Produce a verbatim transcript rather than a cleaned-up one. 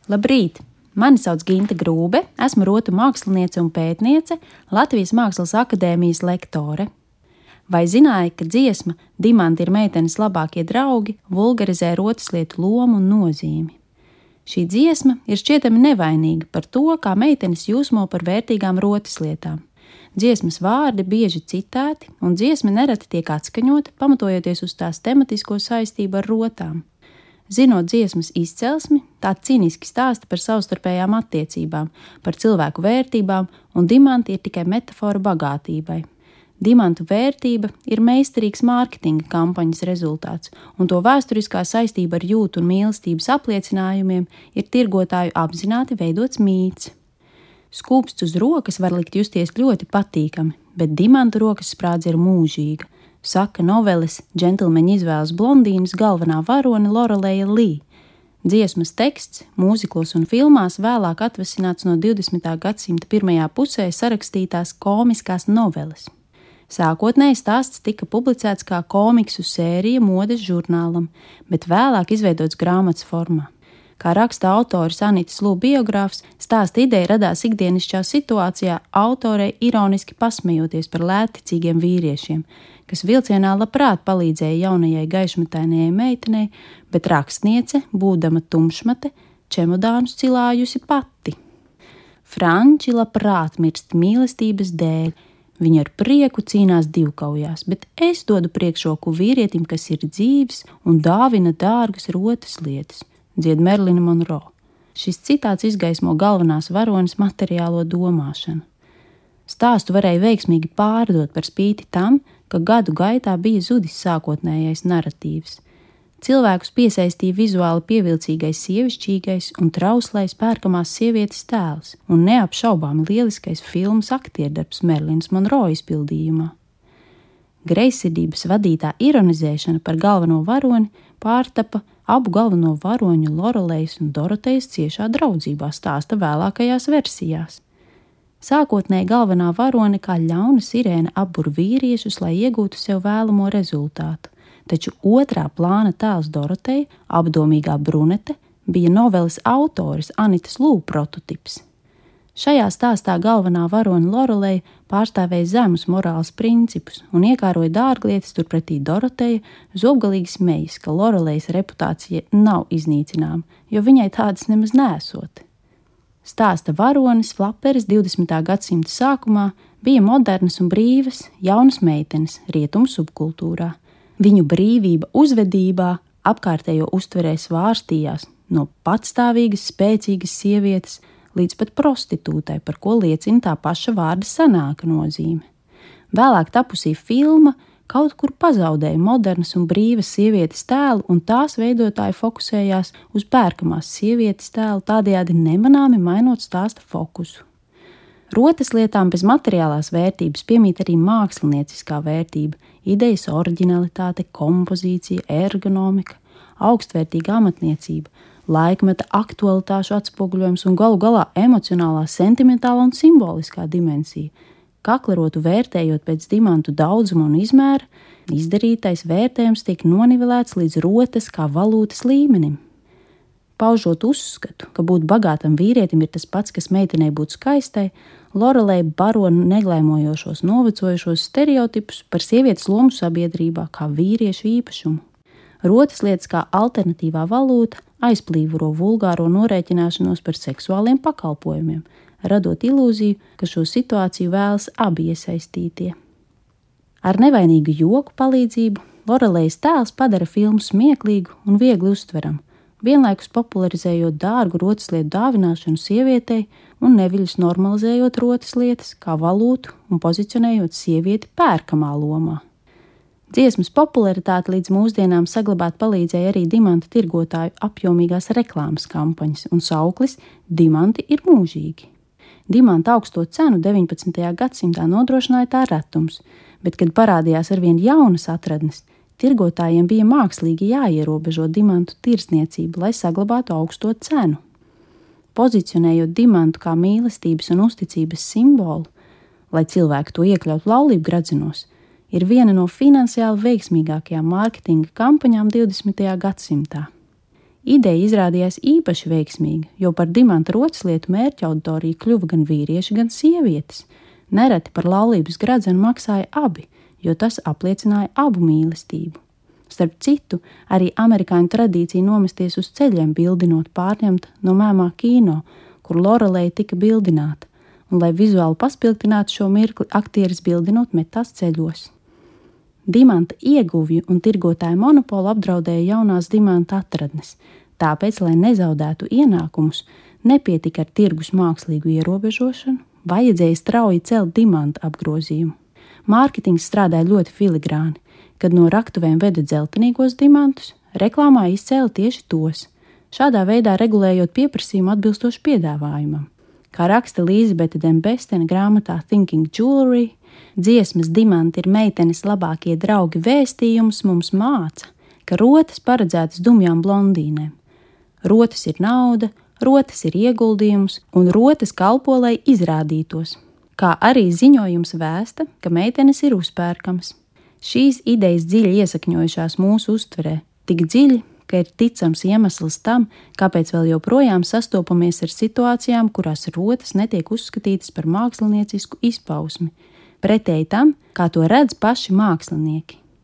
Labrīt! Mani sauc Ginta Grūbe, esmu rotu māksliniece un pētniece, Latvijas Mākslas akadēmijas lektore. Vai zināji, ka dziesma Dimanti ir meitenes labākie draugi vulgarizē rotaslietu lomu un nozīmi? Šī dziesma ir šķietami nevainīga par to, kā meitenes jūsmo par vērtīgām rotaslietām. Dziesmas vārdi bieži citēti, un dziesma nereti tiek atskaņota, pamatojoties uz tās tematisko saistību ar rotām. Zinot dziesmas izcelsmi, tā cīniski stāsta par savstarpējām attiecībām, par cilvēku vērtībām, un dimanti ir tikai metafora bagātībai. Dimantu vērtība ir meistarīgs mārketinga kampaņas rezultāts, un to vēsturiskā saistība ar jūtu un mīlestības apliecinājumiem ir tirgotāju apzināti veidots mīts. Skūpsts uz rokas var likt justies ļoti patīkami, bet dimantu rokas sprādze ir mūžīga, saka noveles Džentlmeņa izvēles blondīnas galvenā varone Loreleja Lī. Dziesmas teksts mūziklos un filmās vēlāk atvasināts no divdesmitā gadsimta pirmajā pusē sarakstītās komiskās noveles. Sākotnēji stāsts tika publicēts kā komiksu sērija modes žurnālam, bet vēlāk izveidots grāmatas formā. Kā raksta autoris Anitas Lū biogrāfs, stāsta ideja radās ikdienišķā situācijā autorei ironiski pasmejoties par lētticīgiem vīriešiem, kas vilcienā labprāt palīdzēja jaunajai gaišmetainajai meitenei, bet rakstniece, būdama tumšmate, čemodānus cilājusi pati. Franči labprāt mirst mīlestības dēļ, viņa ar prieku cīnās divkaujās, bet es dodu priekšroku vīrietim, kas ir dzīves un dāvina dārgas rotas lietas. Dzied Merlina Monroe. Šis citāts izgaismo galvenās varones materiālo domāšanu. Stāstu varēja veiksmīgi pārdot par spīti tam, ka gadu gaitā bija zudis sākotnējais naratīvs. Cilvēkus piesaistīja vizuāli pievilcīgais sievišķīgais un trauslais pērkamās sievietes tēls un neapšaubāmi lieliskais filmas aktierdarbs Merlins Monroe izpildījumā. Greizsirdības vadītā ironizēšana par galveno varoni pārtapa abu galveno varoņu Lorelejas un Dorotejas ciešā draudzībā, stāsta vēlākajās versijās. Sākotnēji galvenā varone kā ļauna sirēna apbur vīriešus, lai iegūtu sev vēlamo rezultātu, taču otrā plāna tēls Doroteja, apdomīgā brunete, bija noveles autores Anitas Lū prototips. Šajā stāstā galvenā varone Loreleja pārstāvēja zemus morāles principus un iekāroja dārglietas, turpretī Doroteja zobgalīgi smejas, ka Lorelejas reputācija nav iznīcināma, jo viņai tādas nemaz nesot. Stāsta varonis flaperis divdesmitā gadsimta sākumā bija modernas un brīvas, jaunas meitenes rietumu subkultūrā. Viņu brīvība uzvedībā apkārtējo uztverē svārstījās no patstāvīgas, spēcīgas sievietes līdz pat prostitūtai, par ko liecina tā paša vārda senāka nozīme. Vēlāk tapusī filma kaut kur pazaudēja modernas un brīvas sievietes tēlu, un tās veidotāji fokusējās uz pērkamās sievietes tēlu, tādējādi nemanāmi mainot stāsta fokusu. Rotaslietām bez materiālās vērtības piemīt arī mākslinieciskā vērtība, idejas oriģinalitāte, kompozīcija, ergonomika, augstvērtīga amatniecība, laikmeta aktualitāšu atspoguļojums un galu galā emocionālā, sentimentālā un simboliskā dimensija. Kaklerotu vērtējot pēc dimantu daudzuma un izmēra, izdarītais vērtējums tiek nonivelēts līdz rotas kā valūtas līmenim. Paužot uzskatu, ka būt bagātam vīrietim ir tas pats, kas meitenei būt skaistai, Loreleja baro neglēmojošos, novecojušos stereotipus par sievietes lomu sabiedrībā kā vīriešu īpašumu. Rotaslietas kā alternatīvā valūta aizplīvuro vulgāro norēķināšanos par seksuāliem pakalpojumiem, radot ilūziju, ka šo situāciju vēlas abi iesaistītie. Ar nevainīgu joku palīdzību Lorelejas tēls padara filmu smieklīgu un viegli uztveramu, vienlaikus popularizējot dārgu rotaslietu dāvināšanu sievietei un neviļus normalizējot rotaslietas kā valūtu un pozicionējot sievieti pērkamā lomā. Dziesmas popularitāti līdz mūsdienām saglabāt palīdzēja arī dimantu tirgotāju apjomīgās reklāmas kampaņas, un sauklis "Dimanti ir mūžīgi". Dimanta augsto cenu deviņpadsmitajā gadsimtā nodrošināja tā retums, bet, kad parādījās arvien jaunas atradnes, tirgotājiem bija mākslīgi jāierobežo dimantu tirdzniecību, lai saglabātu augsto cenu. Pozicionējot dimantu kā mīlestības un uzticības simbolu, lai cilvēki to iekļautu laulību gradzinos, ir viena no finansiāli veiksmīgākajām mārketinga kampaņām divdesmitajā gadsimtā. Ideja izrādījās īpaši veiksmīga, jo par dimanta rotaslietu mērķa auditoriju kļuva gan vīrieši, gan sievietes. Nereti par laulības gradzenu maksāja abi, jo tas apliecināja abu mīlestību. Starp citu, arī amerikāņu tradīcija nomesties uz ceļiem bildinot pārņemta no mēmā kino, kur Lorelei tika bildināta, un, lai vizuāli paspilgtinātu šo mirkli, aktieris bildinot metās ceļos. Dimanta ieguvju un tirgotāju monopolu apdraudēja jaunās dimanta atradnes, tāpēc, lai nezaudētu ienākumus, nepietika ar tirgus mākslīgu ierobežošanu, vajadzēja strauji celt dimanta apgrozījumu. Mārketings strādāja ļoti filigrāni, kad no raktuvēm veda dzeltenīgos dimantus, reklāmā izcēla tieši tos, šādā veidā regulējot pieprasījumu atbilstoši piedāvājumam. Kā raksta Elizabete Dembestena grāmatā Thinking Jewelry, dziesmas Dimanti ir meitenes labākie draugi vēstījums mums māca, ka rotas paredzētas dumjām blondīnēm. Rotas ir nauda, rotas ir ieguldījums un rotas kalpo, lai izrādītos, kā arī ziņojums vēsta, ka meitenes ir uzpērkamas. Šīs idejas dziļi iesakņojušās mūsu uztverē, tik dziļi, ka ir ticams iemesls tam, kāpēc vēl joprojām sastopamies ar situācijām, kurās rotas netiek uzskatītas par māksliniecisku izpausmi, pretēji tam, kā to redz paši mākslinieki.